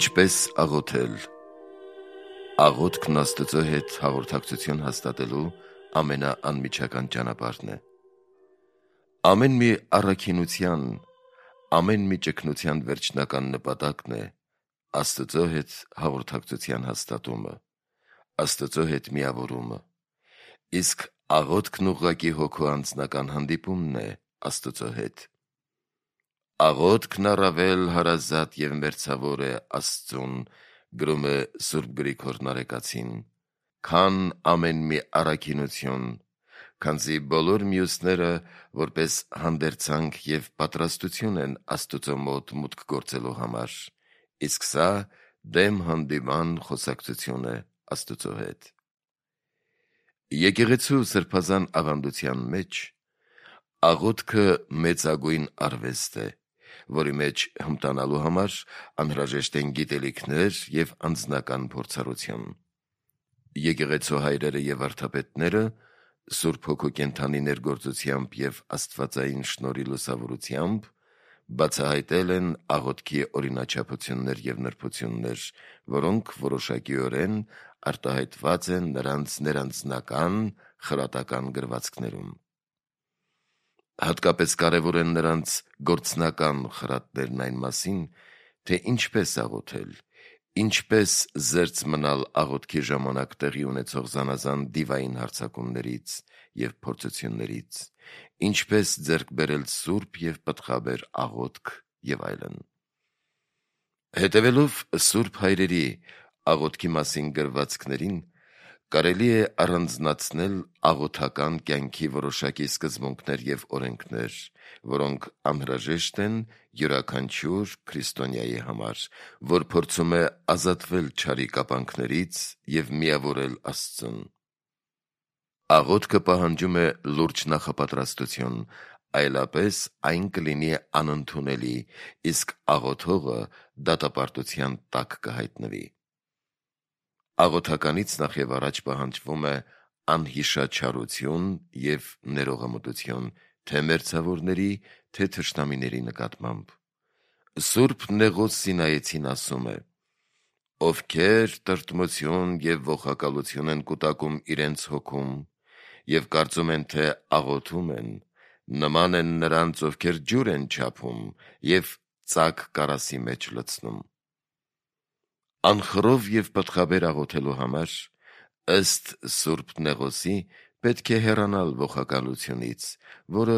Ինչպես աղոթել։ Աղոթքն Աստծո հետ հաղորդակցություն հաստատելու ամենաանմիջական ճանապարհն է։ Ամեն մի առաքինության, ամեն մի ճգնության վերջնական նպատակն է Աստծո հետ հաղորդակցության հաստատումը, Աստծո հետ միավորումը։ Իսկ աղոթքն ուղղակի հոգու անձնական հանդիպումն է Աստծո հետ։ Աղոթքն առավել հարազատ և մերձավոր է Աստծուն, գրում է Սուրբ Գրիգոր Նարեկացին, քան ամեն մի առաքինություն, քանզի բոլոր մյուսները որպես հանդերձանք և պատրաստություն են Աստծո մոտ մուտք գործելու համար, իսկ սա դեմ հանդիման խոսակցություն է Աստծո հետ։ Եկեղեցու սրբազան ավանդության մեջ աղոթքը մեծագույն արվեստ է, որի մեջ հմտանալու համար անհրաժեշտ են գիտելիքներ և անձնական փորձառություն։ Եկեղեցու հայրերը և վարդապետները Սուրբ Հոգու կենդանի ներգործությամբ և աստվածային շնորհի լուսավորությամբ բացահայտել են աղոթքի օրինաչափություններ և նրբություններ, որոնք որոշակիորեն արտահայտված են նրանց ներանձնական խրատական գրվածքներում։ Հատկապես կարևոր են նրանց գործնական խրատներն այն մասին, թե ինչպես աղոթել, ինչպես զերծ մնալ աղոթքի ժամանակ տեղի ունեցող զանազան դիվային հարձակումներից և փորձություններից, ինչպես ձեռք բերել սուրբ և պտղաբեր աղոթք և այլն։ Հետևելով սուրբ հայրերի աղոթքի մասին գրվածքներին, կարելի է առանձնացնել աղոթական կյանքի որոշակի սկզբունքներ և օրենքներ, որոնք անհրաժեշտ են յուրաքանչյուր քրիստոնյայի համար, որ փորձում է ազատվել չարի կապանքներից և միավորել Աստծուն։ Աղոթքը պահանջում է լուրջ նախապատրաստություն, այլապես այն կլինի անընդունելի, իսկ աղոթողը դատապարտության տակ կհայտնվի։ Աղոթականից նախ և առաջ պահանջվում է անհիշաչարություն և ներողամտություն թե՛ մերձավորների, թե՛ թշնամիների նկատմամբ։ Սուրբ Նեղոս Սինայեցին ասում է. «Ովքեր տրտմություն և ողակալություն են կուտակում իրենց հոգում և կարծում են, թե աղոթում են, նման են նրանց, ովքեր ջուր են չափում և ծակ կարասի մեջ լցնում»։ Անխռով և պտղաբեր աղոթելու համար, ըստ Սուրբ Նեղոսի, պետք է հեռանալ ողակալությունից, որը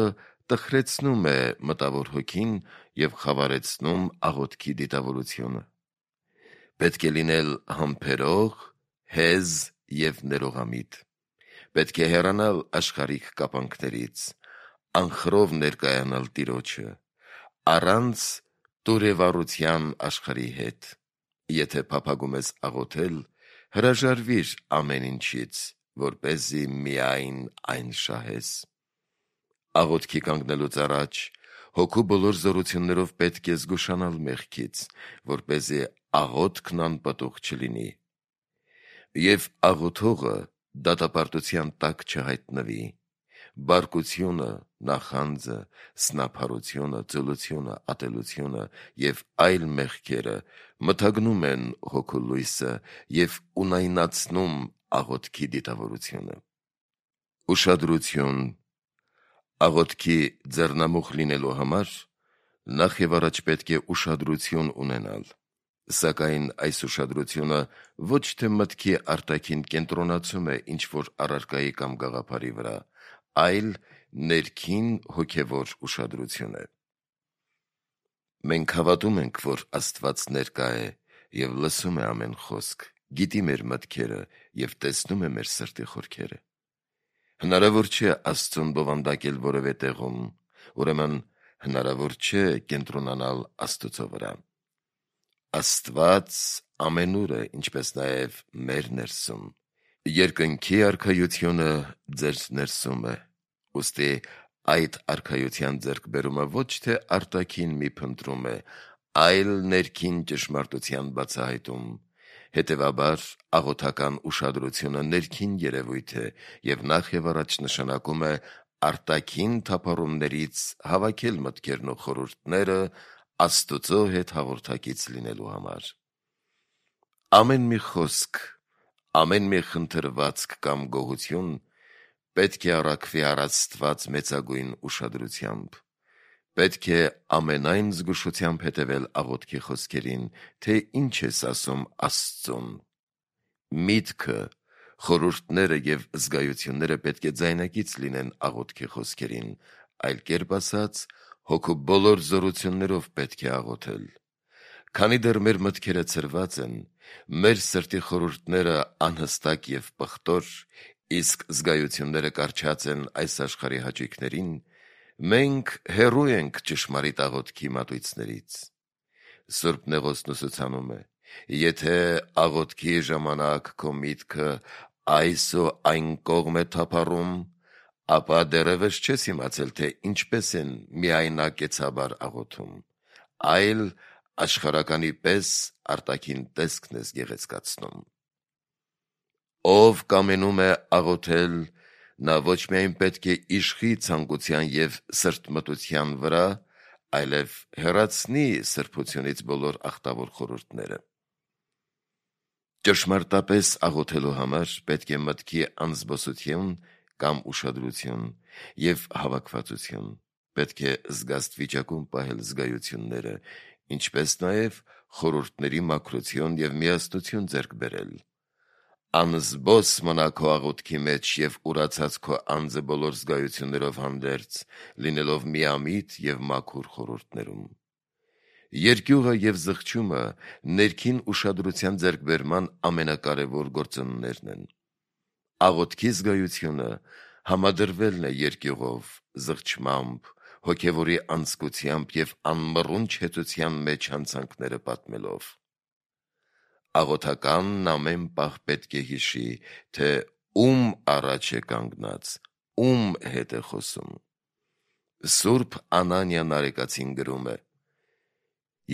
տխրեցնում է մտավոր հոգին և խավարեցնում աղոթքի դիտավորությունը։ Պետք է լինել համբերող, հեզ և ներողամիտ։ Պետք է հեռանալ աշխարհիկ կապանքներից, անխռով ներկայանալ Տիրոջը, առանց տուրևառության աշխարհի հետ։ Եթե փափագում ես աղոթել, հրաժարվիր ամեն ինչից, որպեսզի միայն այն շահես։ Աղոթքի կանգնելուց առաջ հոգու բոլոր զորություններով պետք է զգուշանալ մեղքից, որպեսզի աղոթքն անպտուղ չլինի, և աղոթողը դատապարտության տակ չհայտնվի։ Բարկությունը, նախանձը, սնափառությունը, ծուլությունը, ատելությունը և այլ մեղքերը մթագնում են հոգու լույսը և ունայնացնում աղոթքի դիտավորությունը։ Ուշադրություն։ Աղոթքի ձեռնամուխ լինելու համար նախ և առաջ պետք է ուշադրություն ունենալ, սակայն այս ուշադրությունը ոչ թե մտքի արտաքին կենտրոնացում է ինչ-որ առարկայի կամ գաղափարի վրա, այլ ներքին հոգևոր ուշադրություն է։ Մենք հավատում ենք, որ Աստված ներկա է և լսում է ամեն խոսք, գիտի մեր մտքերը և տեսնում է մեր սրտի խորքերը։ Հնարավոր չէ Աստծուն բովանդակել որևէ տեղում, ուրեմն հնարավոր չէ կենտրոնանալ Աստծո վրա։ Աստված ամենուր է, ինչպես նաև մեր ներսում։ Երկնքի արքայությունը ձեր ներսում է, ուստի այդ արքայության ձեռքբերումը ոչ թե արտաքին մի փնտրում է, այլ ներքին ճշմարտության բացահայտում։ Հետևաբար աղոթական ուշադրությունը ներքին երևույթ է և նախ և առաջ նշանակում է արտաքին թափառումներից հավաքել մտքերն ու խորհուրդները Աստծո հետ հաղորդակից լինելու համար։ Ամեն մի խոսք, ամեն մի խնդրվածք կամ գողություն պետք է առաքվի առաստված մեծագույն ուշադրությամբ։ Պետք է ամենայն զգուշությամբ հետևել աղոթքի խոսքերին, թե ինչ ես ասում Աստծուն։ Միտքը, խորհուրդները և զգայությունները պետք է ձայնագից լինեն աղոթքի խոսքերին, այլ կերպ ասած, հոգու բոլոր զորություններով պետք է աղոթել։ Քանի դեռ մեր մտքերը ցրված են, մեր սրտի խորհուրդները անհստակ և պղտոր, իսկ զգայությունները կառչած են այս աշխարհի հաճույքներին, մենք հեռու ենք ճշմարիտ աղոթքի մատույցներից։ Սուրբ Նեղոսն ուսուցանում է. եթե աղոթքի ժամանակ քո միտքը այս ու այն կողմ է թափառում, ապա դեռևս չես իմացել, թե ինչպես են միայնակեցաբար աղոթում, այլ աշխարհականի պես արտաքին տեսքն ես գեղեցկացնում։ Ով կամենում է աղոթել, նա ոչ միայն պետք է իշխի ցանկության և սրտմտության վրա, այլև հեռացնի սրբությունից բոլոր աղտավոր խորհուրդները։ Ճշմարտապես աղոթելու համար պետք է մտքի անզբոսություն կամ ուշադրություն և հավաքվածություն, պետք է զգաստ վիճակում պահել զգայությունները, ինչպես նաև խորհուրդների մաքրություն և միասնություն ձեռք բերել։ Անզբոս մնա քո աղոթքի մեջ և ուրացած քո անձը բոլոր զգայություններով հանդերձ, լինելով միամիտ և մաքուր խորհուրդներում։ Երկյուղը և զղջումը ներքին ուշադրության ձեռքբերման ամենակարևոր գործոններն են։ Աղոթքի զգայությունը համադրվելն է երկյուղով, զղջմամբ, հոգևորի անձկությամբ և անմռունչ հեծության մեջ հանցանքները պատմելով։ Աղոթականն ամեն պահ պետք է հիշի, թե ում առաջ է կանգնած, ում հետ է խոսում։ Սուրբ Անանիա Նարեկացին գրում է.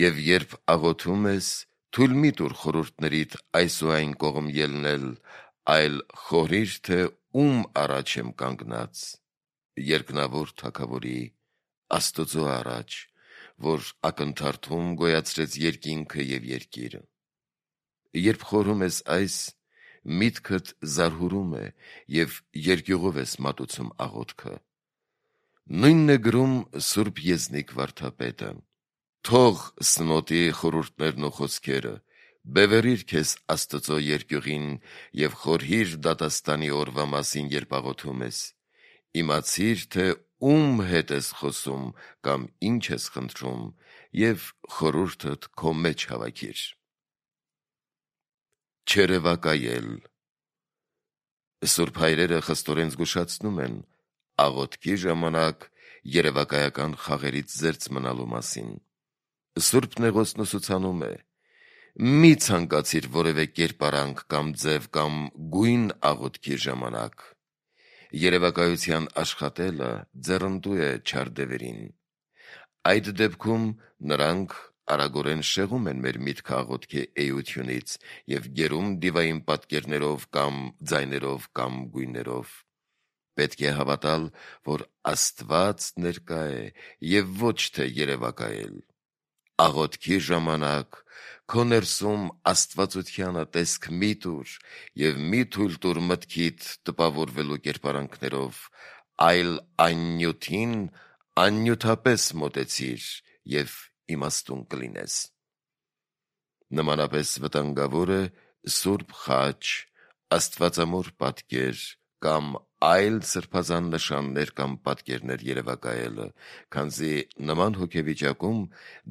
«Եվ երբ աղոթում ես, թույլ մի տուր խորհուրդներիդ այս ու այն կողմ ելնել, այլ խորհիր, թե ում առաջ եմ կանգնած, երկնավոր Թագավորի, Աստծու առաջ, որ ակնթարթում գոյացրեց երկինքը և երկիրը։ Երբ խորհում ես այս, միտքդ զարհուրում է և երկյուղով ես մատուցում աղոթքը։ Նույնն է գրում Սուրբ Եզնիկ վարդապետը. թող սնոտի խորհուրդներն ու խոսքերը, բևեռիր քեզ Աստծո երկյուղին և խորհիր դատաստանի օրվա մասին, երբ աղոթում ես, իմացիր, թե ում հետ ես խոսում կամ ինչ ես խնդրում, և խորհուրդդ քո մեջ հավաքիր։ Չերևակայել։ Սուրբ հայրերը խստորեն զգուշացնում են աղոթքի ժամանակ երևակայական խաղերից զերծ մնալու մասին։ Սուրբ Նեղոսն ուսուցանում է. մի ցանկացիր որևէ կերպարանք կամ ձև կամ գույն աղոթքի ժամանակ։ Երևակայության աշխատելը ձեռնդու է չար դևերին։ Այդ դեպքում նրանք արագորեն շեղում են մեր միտքը աղոթքի էությունից և գերում դիվային պատկերներով կամ ձայներով կամ գույներով։ Պետք է հավատալ, որ Աստված ներկա է և ոչ թե երևակայել։ Աղոթքի ժամանակ քո ներսում աստվածությանը տեսք մի տուր և մի թույլ տուր մտքիդ տպավորվելու կերպարանքներով, այլ այն նյութին աննյութապես մոտեցիր և իմաստուն կլինես։ Նմանապես վտանգավոր է սուրբ խաչ, աստվածամոր պատկեր կամ այլ սրբազան նշաններ կամ պատկերներ երևակայելը, քանզի նման հոգեվիճակում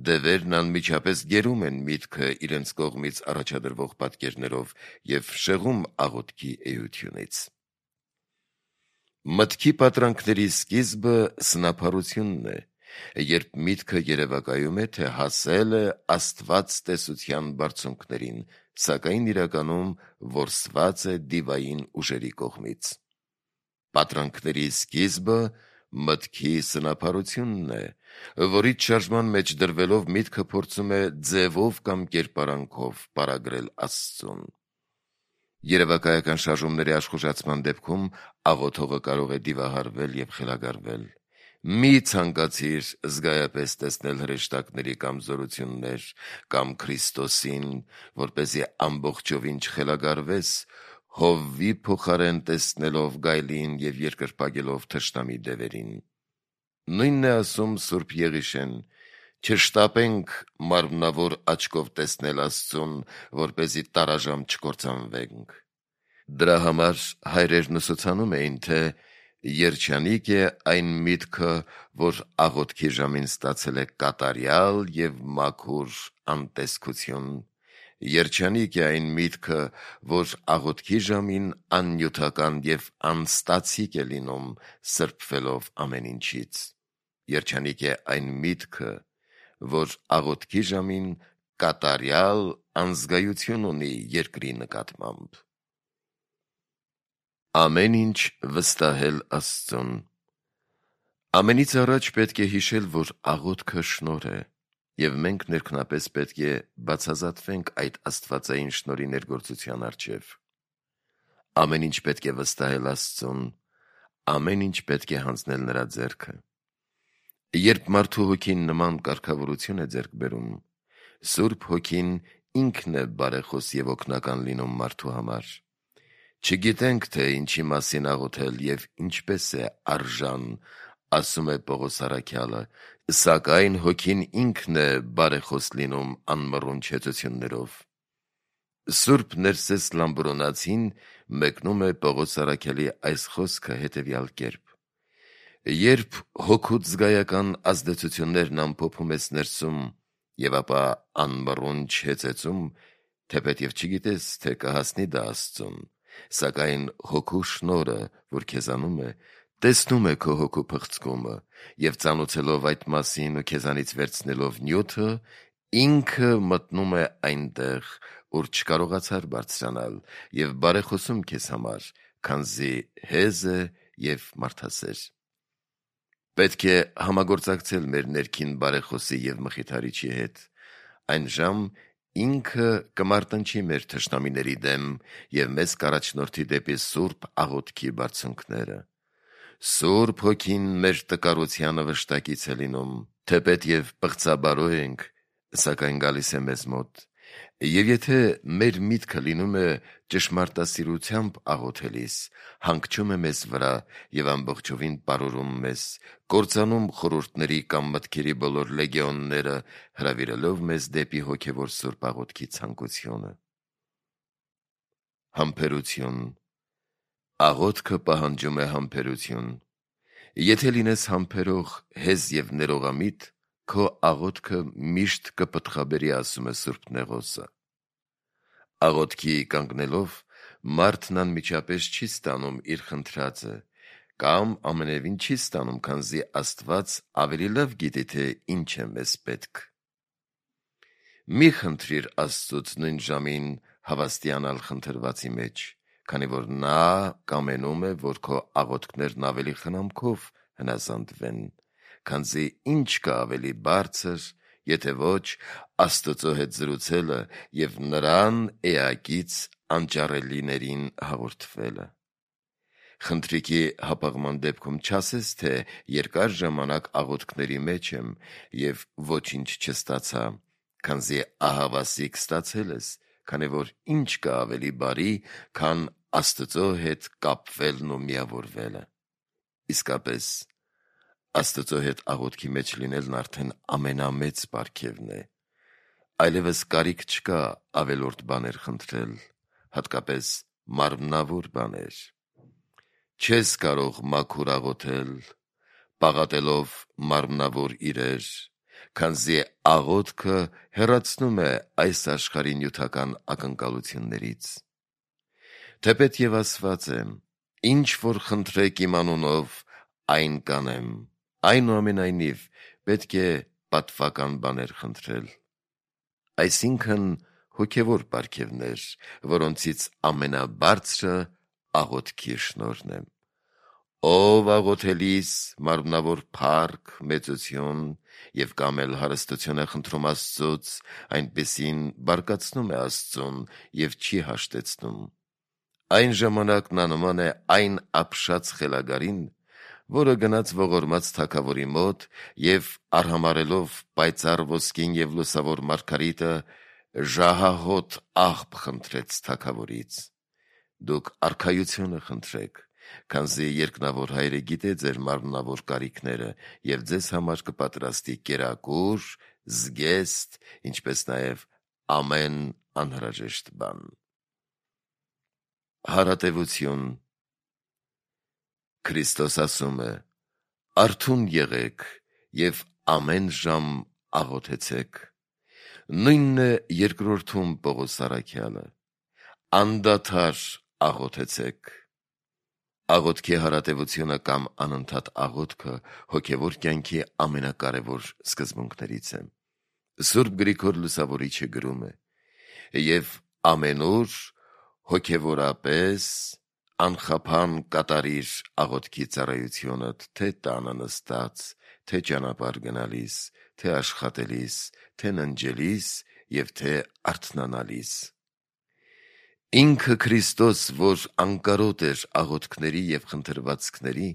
դևերն անմիջապես գերում են միտքը իրենց կողմից առաջադրվող պատկերներով և շեղում աղոթքի էությունից։ Մտքի պատրանքների սկիզբը սնափառությունն է, երբ միտքը երևակայում է, թե հասել է Աստված տեսության բարձունքներին, սակայն իրականում որսված է դիվային ուժերի կողմից։ Պատրանքների սկիզբը մտքի սնափառությունն է, որից շարժման մեջ դրվելով միտքը փորձում է ձևով կամ կերպարանքով պարագրել Աստծուն։ Երևակայական շարժումների աշխուժացման դեպքում աղոթողը կարող է դիվահարվել և խելագարվել։ Մի ցանկացիր զգայապես տեսնել հրեշտակների կամ զորություններ կամ Քրիստոսին, որպեսզի ամբողջովին չխելագարվես, Հովվի փոխարեն տեսնելով գայլին եւ երկրպագելով թշնամի դևերին։ Նույնն է ասում Սուրբ Եղիշեն. չշտապենք մարմնավոր աչքով տեսնել Աստծուն, որպեսզի տարաժամ չկործանվենք։ Դրա համար հայրերն ուսուցանում էին, թե երջանիկ է այն միտքը, որ աղոթքի ժամին ստացել է կատարյալ եւ մաքուր անտեսքություն։ Երջանիկ է այն միտքը, որ աղոթքի ժամին աննյութական եւ անստացիկ է լինում, սրբվելով ամեն ինչից։ Երջանիկ է այն միտքը, որ աղոթքի ժամին կատարյալ անզգայություն ունի երկրի նկատմամբ։ Ամեն ինչ վստահել Աստծուն։ Ամենից առաջ պետք է հիշել, որ աղոթքը շնորհ է, եւ մենք ներքնապես պետք է բացազատվենք այդ աստվածային շնորհի ներգործության առջև։ Ամեն ինչ պետք է վստահել Աստծուն, ամեն ինչ պետք է հանձնել նրա ձեռքը։ Երբ մարդու հոգին նման կարգավորություն է ձեռք բերում, Սուրբ Հոգին ինքն է բարեխոս եւ օգնական լինում մարդու համար։ Չգիտենք, թե ինչի մասին աղոթել եւ ինչպես է արժան, ասում է Պողոս առաքյալը, սակայն Հոգին ինքն է բարեխոս լինում անմռունչ հեծություններով։ Սուրբ Ներսես Լամբրոնացին մեկնում է Պողոս առաքյալի այս խոսքը հետևյալ կերպ. երբ հոգուց զգայական ազդեցություններն ամփոփում ես ներսում եւ ապա անմռունչ հեծեցում, թեպետև չգիտես, թե կհասնի դա Աստծուն, սակայն հոգու շնորհը, որ քեզանում է, տեսնում է քո հոգու փղցկումը եւ ծանոթելով այդ մասին ու քեզանից վերցնելով նյութը, ինքը մտնում է այնտեղ, ուր չկարողացար բարձրանալ եւ բարեխոսում քեզ համար, քանզի հեզ է եւ մարդասեր։ Պետք է համագործակցել մեր ներքին բարեխոսի եւ մխիթարիչի հետ։ Այն ժամ ինքը կմարտնչի մեր թշնամիների դեմ եւ մեզ կառաջնորդի դեպի սուրբ աղոթքի բարձունքները։ Սուրբ Հոգին մեր տկարությանը վշտակից է լինում, թեպետև պղծաբարո ենք, սակայն գալիս է մեզ մոտ։ Եվ եթե մեր միտքը լինում է ճշմարտասիրությամբ աղոթելիս, հանգչում է մեզ վրա եւ ամբողջովին պարուրում մեզ, կործանում խորհուրդների կամ մտքերի բոլոր լեգիոնները, հրավիրելով մեզ դեպի հոգևոր սուրբ աղոթքի ցանկությունը։ Համբերություն։ Աղոթքը պահանջում է համբերություն։ Եթե լինես համբերող, հեզ եւ ներողամիտ, քո աղոթքը միշտ կպտղաբերի, ասում է Սուրբ Նեղոսը։ Աղոթքի կանգնելով մարդն անմիջապես չի ստանում իր խնդրածը, կամ ամենևին չի ստանում, քանզի Աստված ավելի լավ գիտի, թե ինչ է մեզ պետք։ Մի խնդրիր Աստծուց նույն ժամին հավաստիանալ խնդրվածի մեջ, քանի որ նա կամենում է, որ քո աղոթքներն ավելի խնամքով հնազանդվեն, քանզի ինչ կա ավելի բարձր, եթե ոչ Աստծո հետ զրուցելը եւ նրան էակից անճարելիներին հաղորդվելը։ Խնդրիքի հապաղման դեպքում չասես, թե երկար ժամանակ աղոթքների մեջ եմ եւ ոչինչ չստացա, քանզի ահավասիկ ստացել ես, քանի որ ինչ կա ավելի բարի, քան Աստծո հետ կապվելն ու միավորվելը։ Իսկապես, Աստծո հետ աղոթքի մեջ լինելն արդեն ամենամեծ պարգևն է։ Այլևս կարիք չկա ավելորդ բաներ խնդրել, հատկապես մարմնավոր բաներ։ Չես կարող մաքուր աղոթել, պաղատելով մարմնավոր իրեր, քանզի աղոթքը հեռացնում է այս աշխարհի նյութական ակնկալություններից։ Թեպետև ասված է. ինչ որ խնդրեք իմ անունով, այն կանեմ։ Այնուամենայնիվ պետք է պատվական բաներ խնդրել։ Այսինքն հոգևոր պարգևներ, որոնցից ամենաբարձրը աղոթքի շնորհն է։ Ով աղոթելիս մարմնավոր փառք, մեծություն եւ կամ էլ հարստություն է խնդրում Աստծուց, այնպեսին բարկացնում է Աստծուն եւ չի հաշտեցնում։ Այն ժամանակ նա նման է այն ապշած խելագարին, որը գնաց ողորմած թագավորի մոտ եւ արհամարելով պայծառ ոսկին եւ լուսավոր մարգարիտը ժահահոտ աղբ խնդրեց թագավորից. «Դուք արքայությունը խնդրեք, քանզի երկնավոր հայրը գիտե ձեր մարմնավոր կարիքները եւ ձեզ համար կպատրաստի կերակուր, զգեստ, ինչպես նաեւ ամեն անհրաժեշտ բան»։ Հարատևություն։ Քրիստոս ասում է. «Արթուն եղեք եւ ամեն ժամ աղոթեցեք»։ Նույնն է երկրորդում Պողոս առաքյալը. «Անդադար աղոթեցեք»։ Աղոթքի հարատևությունը կամ անընդհատ աղոթքը հոգևոր կյանքի ամենակարևոր սկզբունքներից է։ Սուրբ Գրիգոր Լուսավորիչը գրում է. «Եվ ամենուր հոգևորապես անխափան կատարիր աղոթքի ծառայությունդ, թե տանը նստած, թե ճանապարհ գնալիս, թե աշխատելիս, թե ննջելիս եւ թե արթնանալիս»։ Ինքը Քրիստոս, որ անկարոտ էր աղոթքների եւ խնդրվածքների,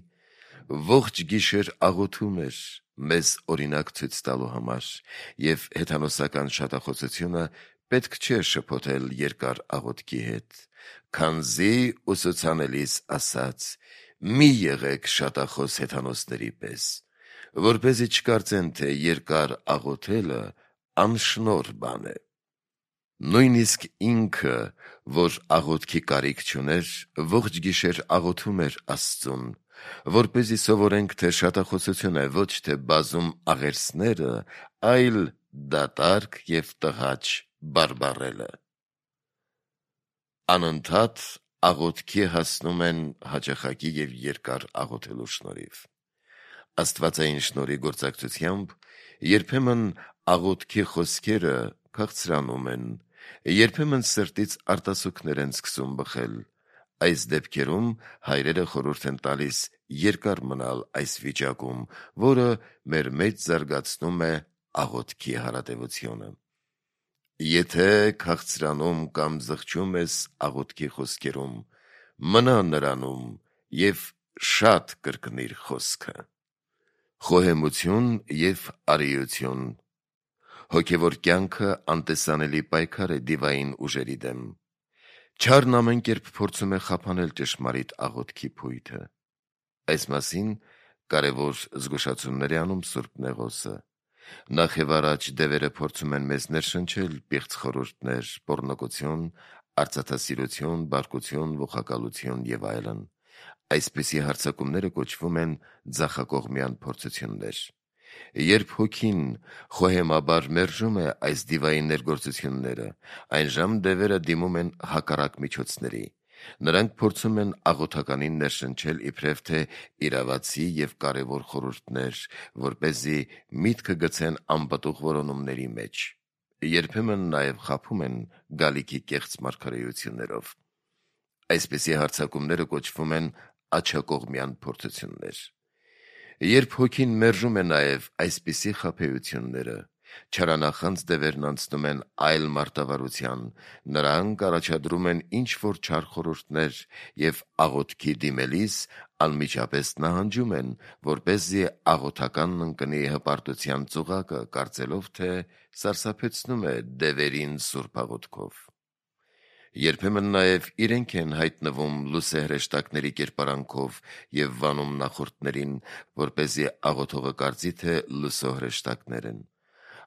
ողջ գիշեր աղոթում էր մեզ օրինակ ցույց տալու համար, եւ հեթանոսական շատախոսությունը պետք չէ շփոթել երկար աղոթքի հետ, քանզի ուսուցանելիս ասաց. «Մի եղեք շատախոս հեթանոսների պես, որպեսզի չկարծեն, թե երկար աղոթելը անշնորհ բան է»։ Նույնիսկ ինքը, որ աղոթքի կարիք չուներ, ողջ գիշեր աղոթում էր Աստծուն, որպեսզի սովորենք, թե շատախոսությունը ոչ թե բազում աղերսները, այլ դատարկ եւ տհաճ բարբառելը։ Անընդհատ աղոթքի հասնում են հաճախակի եւ երկար աղոթելու շնորհիվ։ Աստվածային շնորհի գործակցությամբ երբեմն աղոթքի խոսքերը քաղցրանում են, երբեմն սրտից արտասուքներ են սկսում բխել։ Այս դեպքերում հայրերը խորհուրդ են տալիս երկար մնալ այս վիճակում, որը մեր մեջ զարգացնում է աղոթքի հարատևությունը։ Եթե քաղցրանում կամ զղջում ես աղոթքի խոսքերում, մնա նրանում եւ շատ կրկնիր խոսքը։ Խոհեմություն եւ արիություն։ Հոգևոր կյանքը անտեսանելի պայքար է դիվային ուժերի դեմ։ Չարն ամեն կերպ փորձում է խափանել ճշմարիտ աղոթքի փույթը։ Այս մասին կարևոր զգուշացումներ է անում Սուրբ Նեղոսը։ Նախ եւ առաջ դևերը փորձում են մեզ ներշնչել պիղծ խորհուրդներ, պոռնկություն, արծաթասիրություն, բարկություն, ողակալություն եւ այլն։ Այսպիսի հարձակումները կոչվում են ձախակողմյան փորձություններ։ Երբ հոգին խոհեմաբար մերժում է այս դիվային ներգործությունները, այնժամ դևերը դիմում են հակառակ միջոցների։ Նրանք փորձում են աղոթականին ներշնչել իբրև թե իրավացի եւ կարևոր խորհուրդներ, որպեսզի միտքը գցեն անպտուղ որոնումների մեջ։ Երբեմն նաեւ խաբում են գալիքի կեղծ մարգարեություններով։ Այսպիսի հարձակումները կոչվում են աջակողմյան փորձություններ։ Երբ հոգին մերժում է նաեւ այսպիսի խաբեությունները, չարանախանձ դևերն անցնում են այլ մարտավարության, նրանք առաջադրում են ինչ-որ չար խորհուրդներ եւ աղոթքի դիմելիս անմիջապես նահանջում են, որպեսզի աղոթականն ընկնի հպարտության ծուղակը, կարծելով, թե սարսափեցնում է դևերին սուրբ աղոթքով։ Երբեմն նաեւ իրենք են հայտնվում լուսե հրեշտակների կերպարանքով եւ վանում նախորդներին, որպեսզի աղոթողը կարծի, թե լուսո հրեշտակներ են։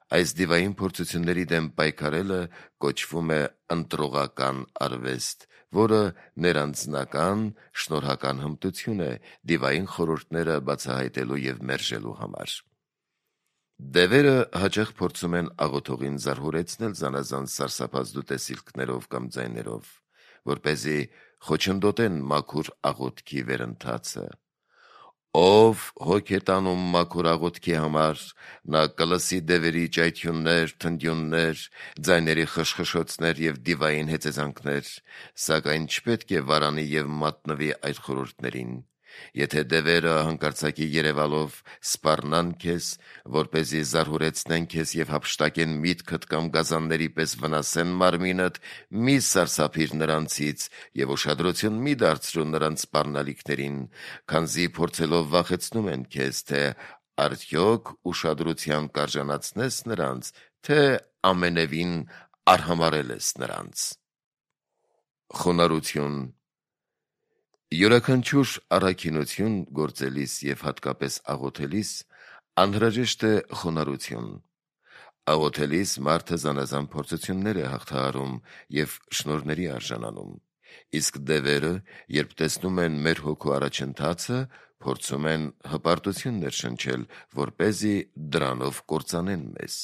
Այս դիվային փորձությունների դեմ պայքարելը կոչվում է ընտրողական արվեստ, որը ներանձնական շնորհական հմտություն է դիվային խորհուրդները բացահայտելու եւ մերժելու համար։ Դևերը հաճախ փորձում են աղոթողին զարհուրեցնել զանազան սարսափազդու տեսիլքներով կամ ձայներով, որպեսզի խոչընդոտեն մաքուր աղոթքի վերընթացը։ Ով հոգ է տանում մաքուր աղոթքի համար, նա կլսի դևերի ճայթյուններ, թնդյուններ, ձայների խշխշոցներ եւ դիվային հեծեզանքներ, սակայն չպետք է վարանի եւ մատնվի այդ խորհուրդներին, Եթե դևերը հանկարծակի երևալով սպառնան քեզ, որպեսզի զարհուրեցնեն քեզ եւ հափշտակեն միտքդ կամ գազանների պես վնասեն մարմինդ, մի սարսափիր նրանցից եւ ուշադրություն մի դարձրու նրանց սպառնալիքներին, քանզի փորձելով վախեցնում են քեզ, թե արդյոք ուշադրության կարժանացնես նրանց, թե ամենևին արհամարհել ես նրանց։ Խոնարհություն յուրաքանչյուր առաքինություն գործելիս եւ հատկապես աղոթելիս անհրաժեշտ է խոնարհություն։ Աղոթելիս մարդը զանազան փորձություններ է հաղթահարում եւ շնորհների արժանանում, իսկ դևերը, երբ տեսնում են մեր հոգու առաջընթացը, փորձում են հպարտություն ներշնչել, որպեսզի դրանով կործանեն մեզ։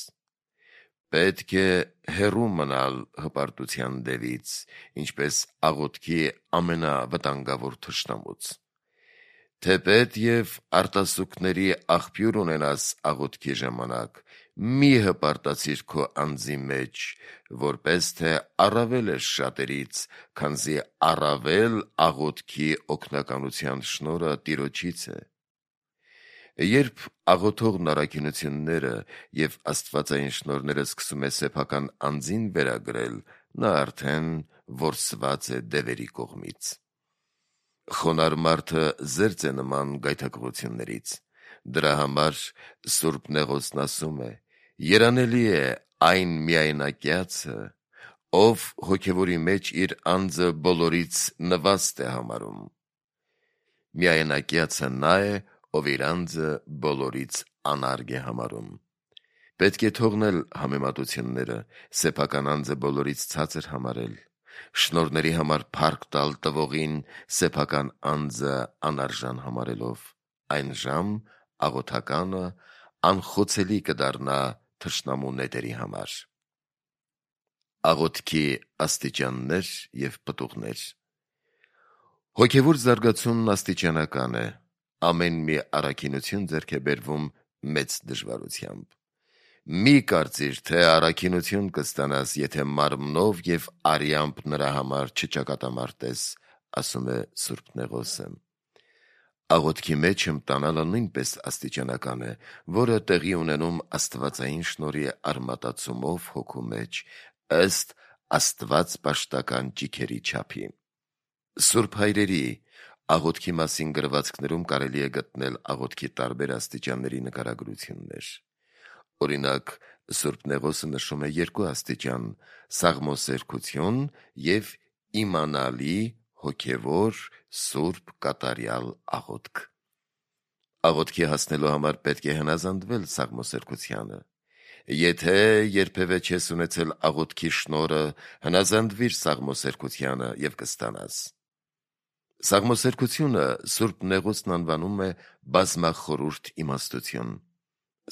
Պետք է հեռու մնալ հպարտության դևից, ինչպես աղոթքի ամենավտանգավոր թշնամուց։ Թեպետ եւ արտասուքների աղբյուր ունենաս աղոթքի ժամանակ, մի հպարտացիր քո անձի մեջ, որպես թե առավել ես շատերից, քանզի առավել աղոթքի օգնականության շնորհը Տիրոջից է։ Երբ աղոթողն առաքինությունները եւ աստվածային շնորհները սկսում է սեփական անձին վերագրել, նա արդեն որսված է դևերի կողմից։ Խոնարհ մարդը զերծ է նման գայթակղություններից։ Դրա համար Սուրբ Նեղոսն ասում է. «Երանելի է այն միայնակյացը, ով հոգևորի մեջ իր անձը բոլորից նվաստ է համարում»։ Միայնակյացը նա է, ով իր անձը բոլորից անարգ է համարում։ Պետք է թողնել համեմատությունները, սեփական անձը բոլորից ցածր համարել, շնորհների համար փառք տալ տվողին, սեփական անձը անարժան համարելով, այն ժամ աղոթականը անխոցելի կդառնա թշնամու նետերի համար։ Աղոթքի աստիճաններ եւ պտուղներ։ Հոգևոր զարգացումն աստիճանական է։ Ամեն մի առաքինություն ձեռք է բերվում մեծ դժվարությամբ։ Մի կարծիր, թե առաքինություն կստանաս, եթե մարմնով եւ արյամբ նրա համար չճակատամարտես, ասում է Սուրբ Նեղոսը։ Աղոթքի մեջ հմտանալը նույնպես աստիճանական է, որը տեղի ունենում աստվածային շնորհի արմատացումով հոգու մեջ, ըստ Աստված պաշտական ճիգերի չափի։ Սուրբ հայրերի աղոթքի մասին գրվածքներում կարելի է գտնել աղոթքի տարբեր աստիճանների նկարագրություններ։ Օրինակ, Սուրբ Նեղոսը նշում է երկու աստիճան՝ սաղմոսերկություն եւ իմանալի հոգևոր սուրբ կատարյալ աղոթք։ Աղոթքի հասնելու համար պետք է հնազանդվել սաղմոսերկությանը։ Եթե երբևէ չես ունեցել աղոթքի շնորհը, հնազանդվիր սաղմոսերկությանը եւ կստանաս։ Սաղմոսերկությունը Սուրբ Նեղոսն անվանում է բազմախորհուրդ իմաստություն։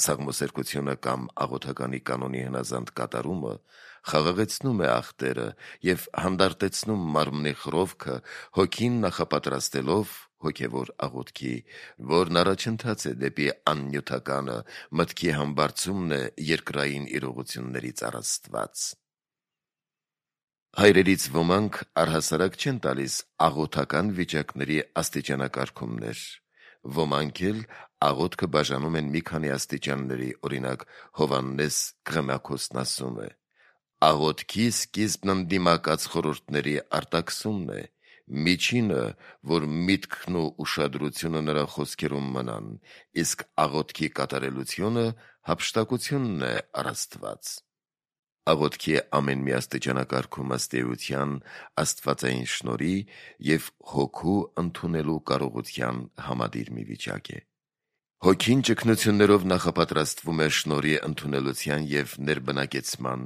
Սաղմոսերկությունը կամ աղոթականի կանոնի հնազանդ կատարումը խաղաղեցնում է աղտերը եւ հանդարտեցնում մարմնի խռովքը, հոգին նախապատրաստելով հոգևոր աղոթքի, որն առաջընթաց է դեպի աննյութականը, մտքի համբարձումն է երկրային իրողություններից առ Աստված։ Հայրերից ոմանք առհասարակ չեն տալիս աղոթական վիճակների աստիճանակարգումներ, ոմանք էլ աղոթքը բաժանում են մի քանի աստիճանների, օրինակ Հովհաննես Քղմякոսն ասում է. «Աղոթքի սկիզբն ընդդիմակաց խորհուրդների արտաքսումն է, միջինը, որ միտքն ու ուշադրությունը նրա խոսքերում մնան, իսկ աղոթքի կատարելությունը հափշտակությունն է առ Աստված»։ Աղոթքի ամեն մի աստիճանակարգում ըստ էության աստվածային շնորհի եւ հոգու ընդունելու կարողության համադիր մի վիճակ է։ Հոգին ճգնություններով նախապատրաստվում է շնորհի ընդունելության եւ ներբնակեցման,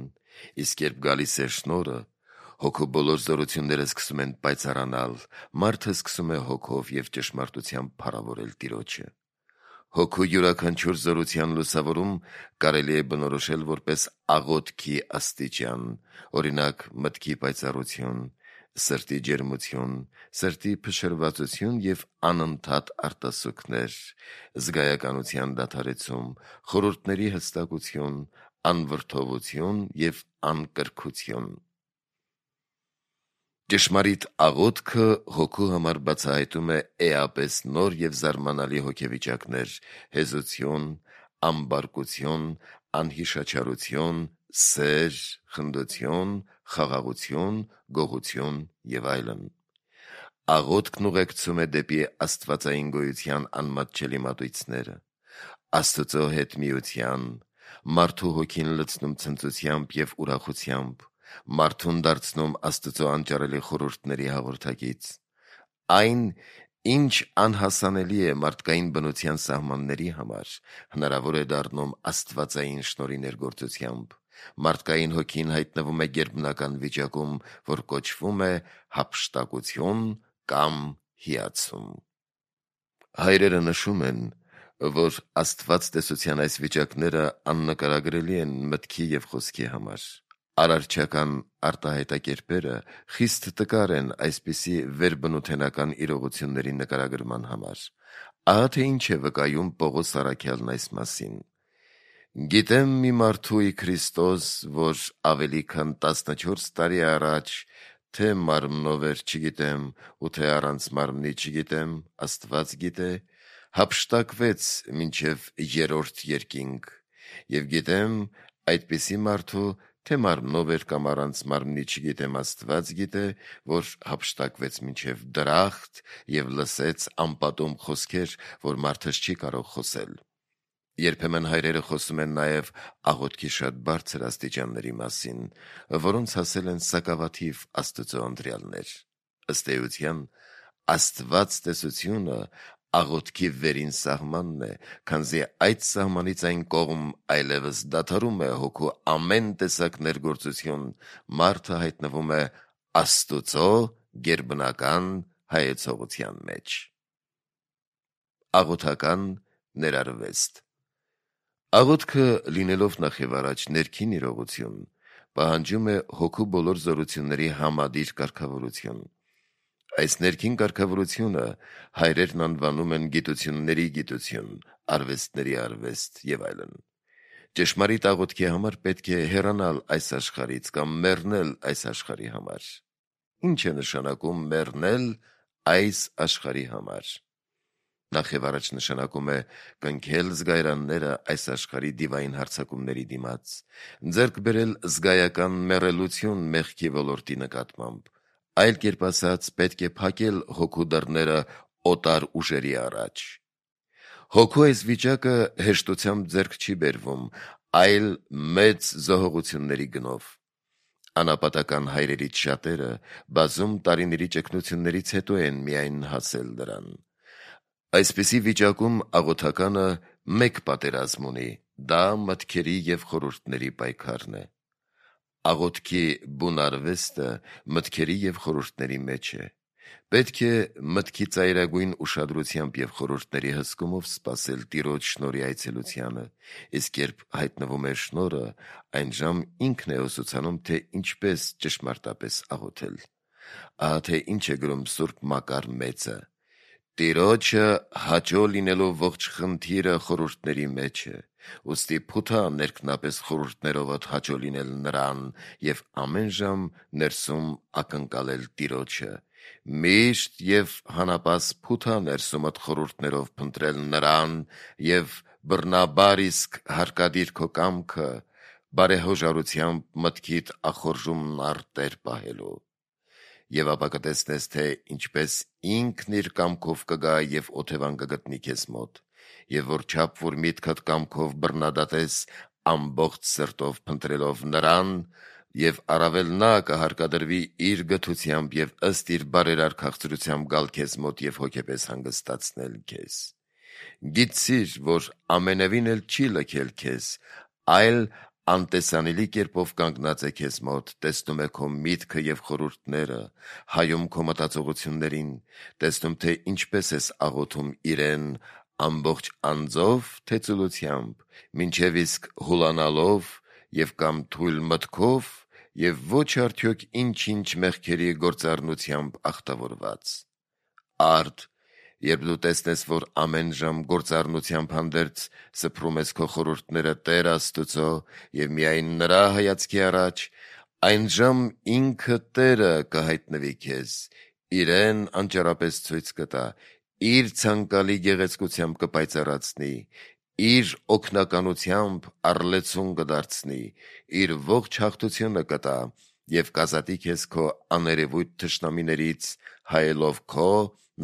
իսկ երբ գալիս է շնորհը, հոգու բոլոր զորությունները սկսում են պայծառանալ, մարդը սկսում է հոգով եւ ճշմարտությամբ փառավորել Տիրոջը։ Հոգու յուրաքանչյուր զորության լուսավորում կարելի է բնորոշել որպես աղոթքի աստիճան, օրինակ մտքի պայծառություն, սրտի ջերմություն, սրտի փշրվածություն եւ անընդհատ արտասուքներ, զգայականության դադարեցում, խորհուրդների հստակություն, անվրդովություն եւ անկրքություն։ Ճշմարիտ աղոթքը հոգու համար բացահայտում է էապես նոր և զարմանալի հոգեվիճակներ, հեզություն, ամբարկություն, անհիշաչարություն, սեր, խնդություն, խաղաղություն, գոհություն և այլն։ Աղոթքն ուղեկցում է դեպի աստվածային գոյության անմատչելի մատույցները, Աստծո հետ միության, մարդու հոգին լցնում ցնծությամբ և ուրախությամբ, մարդուն դարձնում Աստծո անճարելի խորհուրդների հաղորդակից։ Այն, ինչ անհասանելի է մարդկային բնության սահմանների համար, հնարավոր է դառնում աստվածային շնորհի ներգործությամբ։ Մարդկային հոգին հայտնվում է գերբնական վիճակում, որ կոչվում է հափշտակություն կամ հիացում։ Հայրերը նշում են, որ Աստված տեսության այս վիճակները աննկարագրելի են մտքի և խոսքի համար։ Արարչական արտահայտակերպերը խիստ տկար են այսպիսի վերբնութենական իրողությունների նկարագրման համար։ Ահա թե ինչ է վկայում Պողոս առաքյալն այս մասին. «Գիտեմ մի մարդու ի Քրիստոս, որ ավելի քան 14 տարի առաջ, թե մարմնով էր չգիտեմ, ու թե առանց մարմնի չգիտեմ, Աստված գիտե, հափշտակվեց մինչև 3-րդ երկինք, և գիտեմ այդպիսի մարդու, թե մարմնով էր կամ առանց մարմնի չգիտեմ, Աստված գիտե, որ հափշտակվեց մինչև դրախտ և լսեց անպատում խոսքեր, որ մարդս չի կարող խոսել»։ Երբեմն հայրերը խոսում են նաև աղոթքի շատ բարձր աստիճանների մասին, որոնց հասել են սակավաթիվ Աստծո ընտրյալներ։ Ըստ էության, Աստված տեսությունը աղոթքի վերին սահմանն է, քանզի այդ սահմանից այն կողմ այլևս դադարում է հոգու ամեն տեսակ ներգործություն, մարդը հայտնվում է Աստծո գերբնական հայեցողության մեջ։ Աղոթական ներարվեստ։ Աղոթքը, լինելով նախևառաջ ներքին իրողություն, պահանջում է հոգու բոլոր զորությունների համադիր կարգավորություն։ Այս ներքին կարգավորությունը հայրերն անվանում են գիտությունների գիտություն, արվեստների արվեստ և այլն։ Ճշմարիտ աղոթքի համար պետք է հեռանալ այս աշխարհից կամ մեռնել այս աշխարհի համար։ Ինչ է նշանակում մեռնել այս աշխարհի համար։ Նախևառաջ նշանակում է կնքել զգայարանները այս աշխարհի դիվային հարձակումների դիմաց, ձեռք բերել զգայական մեռելություն մեղքի ոլորտի նկատմամբ, այլ կերպ ասած, պետք է փակել հոգու դռները օտար ուժերի առաջ։ Հոգու այս վիճակը հեշտությամբ ձեռք չի բերվում, այլ մեծ զոհողությունների գնով։ Անապատական հայրերից շատերը բազում տարիների ճգնություններից հետո են միայն հասել դրան։ Այսպիսի վիճակում աղոթականը մեկ պատերազմ ունի, դա մտքերի և խորհուրդների պայքարն է։ Աղոթքի բուն արվեստը մտքերի և խորհուրդների մեջ է։ Պետք է մտքի ծայրագույն ուշադրությամբ և խորհուրդների հսկումով սպասել Տիրոջ շնորհի այցելությանը, իսկ երբ հայտնվում է շնորհը, այնժամ ինքն է ուսուցանում, թե ինչպես ճշմարտապես աղոթել։ Ահա թե ինչ է գրում Սուրբ Մակար Մեծը. «Տիրոջը հաճո լինելու ողջ խնդիրը խորհուրդների մեջ է, ուստի փութա ներքնապես խորհուրդներովդ հաճո լինել նրան և ամեն ժամ ներսում ակնկալել Տիրոջը, միշտ և հանապաս փութա ներսումդ խորհուրդներով փնտրել նրան և բռնաբար իսկ հարկադիր քո կամքը, բարեհոժարությամբ մտքիդ ախորժումն արտեր պահելու։ Եվ ապա կտեսնես, թե ինչպես ինքն իր կամքով կգա և օթևան կգտնի քեզ մոտ, և որչափ որ միտքդ կամքով բռնադատես ամբողջ սրտով փնտրելով նրան, և առավել նա կհարկադրվի իր գթությամբ և ըստ իր բարերար քաղցրությամբ գալ քեզ մոտ և հոգեպես հանգստացնել քեզ։ Գիտցիր, որ ամենևին էլ չի լքել քեզ, այլ անտեսանելի կերպով կանգնած է քեզ մոտ, տեսնում է քո միտքը և խորհուրդները, հայում քո մտածողություններին, տեսնում, թե ինչպես ես աղոթում իրեն, ամբողջ անձով, թե ծուլությամբ, մինչև իսկ հուլանալով և կամ թույլ մտքով և ոչ արդյոք ինչ-ինչ մեղքերի գործառնությամբ ախտավորված։ Արդ, երբ դու տեսնես, որ ամեն ժամ գործառնությամբ հանդերձ սփռում ես քո խորհուրդները Տեր Աստուծո և միայն նրա հայացքի առաջ, Այն ժամ ինքը Տերը կհայտնվի քեզ, իրեն անճարապես ցույց կտա, իր ցանկալի գեղեցկությամբ կպայծառացնի, իր օգնականությամբ առլեցուն կդարձնի, իր ողջ հաղթությունը կտա եւ կազատի քեզ քո աներևույթ թշնամիներից, հայելով քո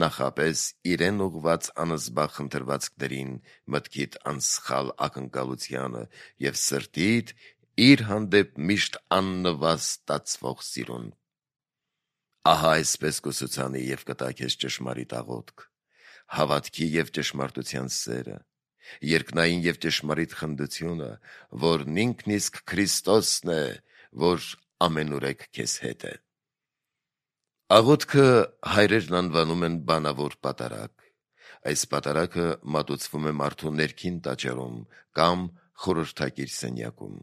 նախապես իրեն ուղված անզբաղ խնդրվածքներին, մտքիդ անսխալ ակնկալությանը եւ սրտիդ իր հանդեպ միշտ աննվազ ստացվող սիրուն։ Ահա այսպես կուսուցանի եւ կտա քեզ ճշմարիտ աղոթք, հավատքի եւ ճշմարտության սերը, երկնային եւ ճշմարիտ խնդությունը, որն ինքն իսկ Քրիստոսն է, որ ամենուրեք քեզ հետ է։ Աղոթքը հայրերն անվանում են բանավոր պատարագ։ Այս պատարագը մատուցվում է մարդու ներքին տաճարում կամ խորհրդակիր սենյակում։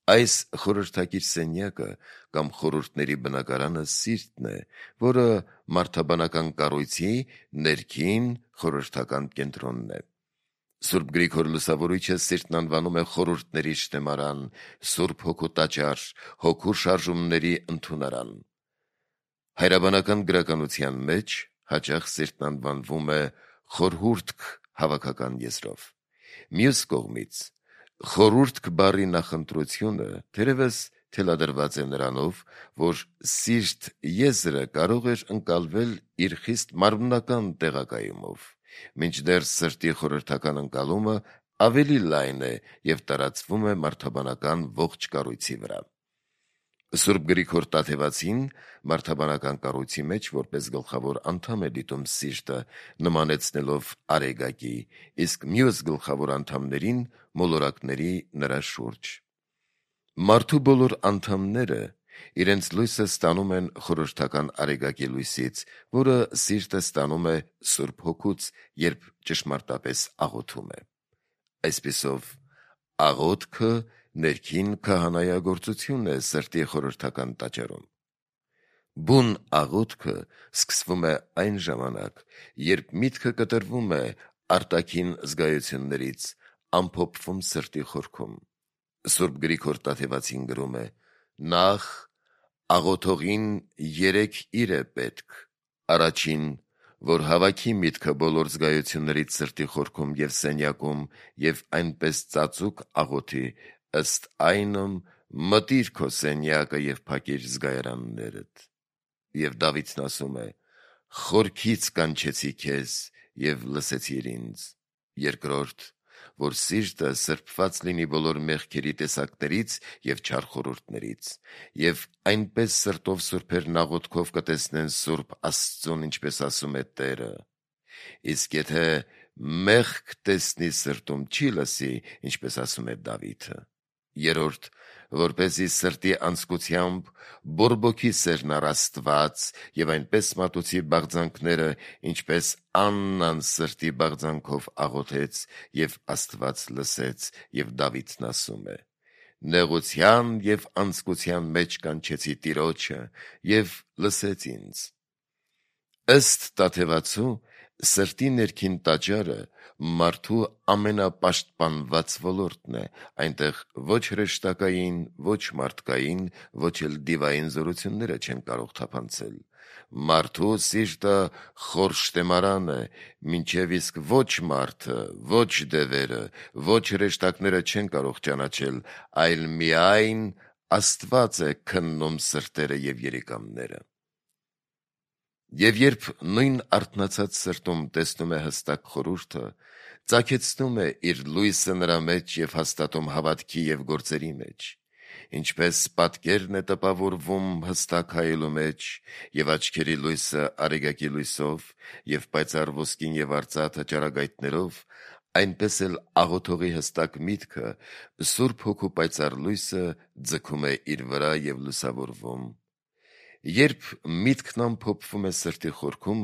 Այս խորհրդակիր սենյակը կամ խորհուրդների բնակարանը սիրտն է, որը մարդաբանական կառույցի ներքին խորհրդական կենտրոնն է։ Սուրբ Գրիգոր Լուսավորիչը սիրտն անվանում է խորհուրդների շտեմարան, Սուրբ Հոգու տաճար, հոգու շարժումների ընդունարան։ Հայրաբանական գրականության մեջ հաճախ սիրտն անվանվում է խորհուրդք հավաքական եզրով։ Մյուս կողմից, խորհուրդք բառի նախընտրությունը թերևս թելադրված է նրանով, որ սիրտ եզրը կարող էր ընկալվել իր խիստ մարմնական տեղակայումով, մինչդեռ սրտի խորհրդական ընկալումը ավելի լայն է եւ տարածվում է մարդաբանական ողջ կառույցի վրա։ Սուրբ Գրիգոր Տաթևացին մարդաբանական կառույցի մեջ որպես գլխավոր անդամ է դիտում սիրտը, նմանեցնելով արեգակի, իսկ մյուս գլխավոր անդամներին մոլորակների նրա շուրջ։ Մարդու բոլոր անդամները իրենց լույսը ստանում են խորհրդական արեգակի լույսից, որը սիրտը ստանում է Սուրբ Հոգուց, երբ ճշմարտապես աղոթում է։ Այսպիսով, աղոթքը ներքին քահանայագործություն է սրտի խորհրդական տաճարում։ Բուն աղոթքը սկսվում է այն ժամանակ, երբ միտքը կտրվում է արտաքին զգայություններից, ամփոփվում սրտի խորքում։ Սուրբ Գրիգոր Տաթևացին գրում է. «Նախ աղոթողին 3 իր է պետք. առաջին, որ հավաքի միտքը բոլոր զգայություններից սրտի խորքում եւ սենյակում եւ այնպես ծածուկ աղոթի, ըստ այնմ մտիր քո սենյակը եւ փակիր զգայարաններդ»։ Եվ Դավիթն ասում է. «Խորքից կանչեցի քեզ եւ լսեցիր ինձ»։ Երկրորդ, որ սիրտը սրբված լինի բոլոր մեղքերի տեսակներից եւ չար խորհուրդներից, եւ այնպես սրտով սուրբերն աղոթքով կտեսնեն Սուրբ Աստծուն, ինչպես ասում է Տերը։ Իսկ եթե մեղք տեսնի սրտում չի լսի, ինչպես ասում է Դավիթը։ Երրորդ, որպեսզի սրտի անձկությամբ բորբոքի սերն առ Աստված եւ այնպես մատուցի բաղձանքները, ինչպես Աննան սրտի բաղձանքով աղոթեց եւ Աստված լսեց, եւ Դավիթն ասում է. «Նեղության եւ անձկության մեջ կանչեցի Տիրոջը եւ լսեց ինձ»։ Ըստ Տաթևացու, սրտի ներքին տաճարը մարդու ամենապաշտպանված ոլորտն է, այնտեղ ոչ հրեշտակային, ոչ մարդկային, ոչ էլ դիվային զորությունները չեն կարող թափանցել։ Մարդու սիրտը խոր շտեմարան է, մինչև իսկ ոչ մարդը, ոչ դևերը, ոչ հրեշտակները չեն կարող ճանաչել, այլ միայն Աստված է քննում սրտերը եւ երիկամները։ Եվ երբ նույն արթնացած սրտում տեսնում է հստակ խորհուրդը, ծագեցնում է իր լույսը նրա մեջ եւ հաստատում հավատքի եւ գործերի մեջ, ինչպես պատկերն է տպավորվում հստակ հայելու մեջ եւ աչքերի լույսը արեգակի լույսով եւ պայծառ ոսկին եւ արծաթը ճառագայթներով, այնպես էլ աղոթողի հստակ միտքը Սուրբ Հոգու պայծառ լույսը ձգում է իր վրա եւ լուսավորվում։ Երբ միտքն ամփոփվում է սրտի խորքում,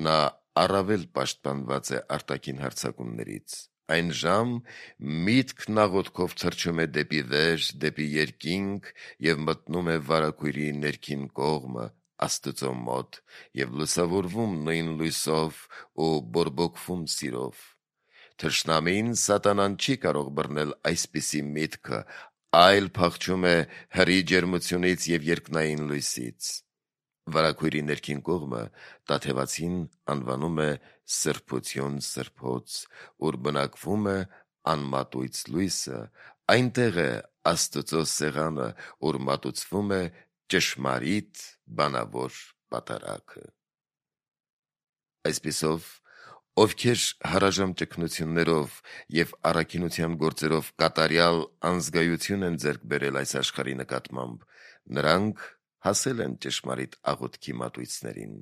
նա առավել պաշտպանված է արտաքին հարձակումներից։ Այն ժամ միտքն աղոթքով թռչում է դեպի վեր, դեպի երկինք եւ մտնում է վարագույրի ներքին կողմը, Աստծո մոտ, եւ լուսավորվում նույն լույսով ու բորբոքվում սիրով։ Թշնամին, սատանան չի կարող բռնել այսպիսի միտքը, այլ փախչում է հրի ջերմությունից և երկնային լույսից։ Վարագույրի ներքին կողմը տաթևացին անվանում է սրբություն սրբոց, ուր բնակվում է անմատույց լույսը, այնտեղ է Աստծո սեղանը, ուր մատուցվում է ճշմարիտ բանավոր պատարագը։ Այսպիսով, ովքեր հարաժամ ճգնություններով և առաքինության գործերով կատարյալ անզգայություն են ձեռք բերել այս աշխարհի նկատմամբ, նրանք հասել են ճշմարիտ աղոթքի մատույցներին։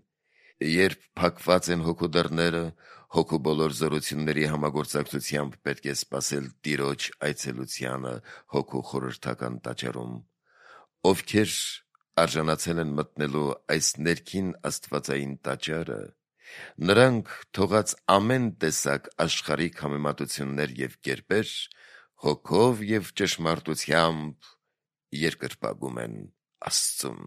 Երբ փակված են հոգու դռները, հոգու բոլոր զորությունների համագործակցությամբ պետք է սպասել Տիրոջ այցելությանը հոգու խորհրդական տաճարում։ Ովքեր արժանացել են մտնելու այս ներքին աստվածային տաճարը, նրանք թողած ամեն տեսակ աշխարհիկ համեմատություններ և կերպեր հոգով և ճշմարտությամբ երկրպագում են Աստծուն։